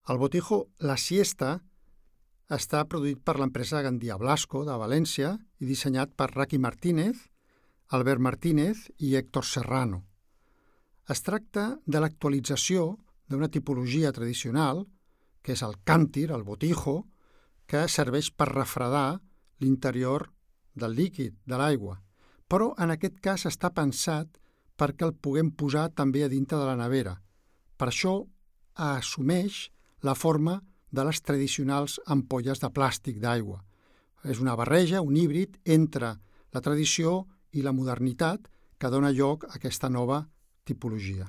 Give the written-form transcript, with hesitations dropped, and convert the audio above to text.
El botijo La Siesta està produït per l'empresa Gandia Blasco de València i dissenyat per Raki Martínez, Albert Martínez i Héctor Serrano. Es tracta de l'actualització d'una tipologia tradicional, que és el càntir, el botijo, que serveix per refredar l'interior del líquid, de l'aigua. Però en aquest cas està pensat perquè el puguem posar també a dintre de la nevera. Per això assumeix la forma de les tradicionals ampolles de plàstic d'aigua. És una barreja, un híbrid entre la tradició i la modernitat que dona lloc a aquesta nova tipologia.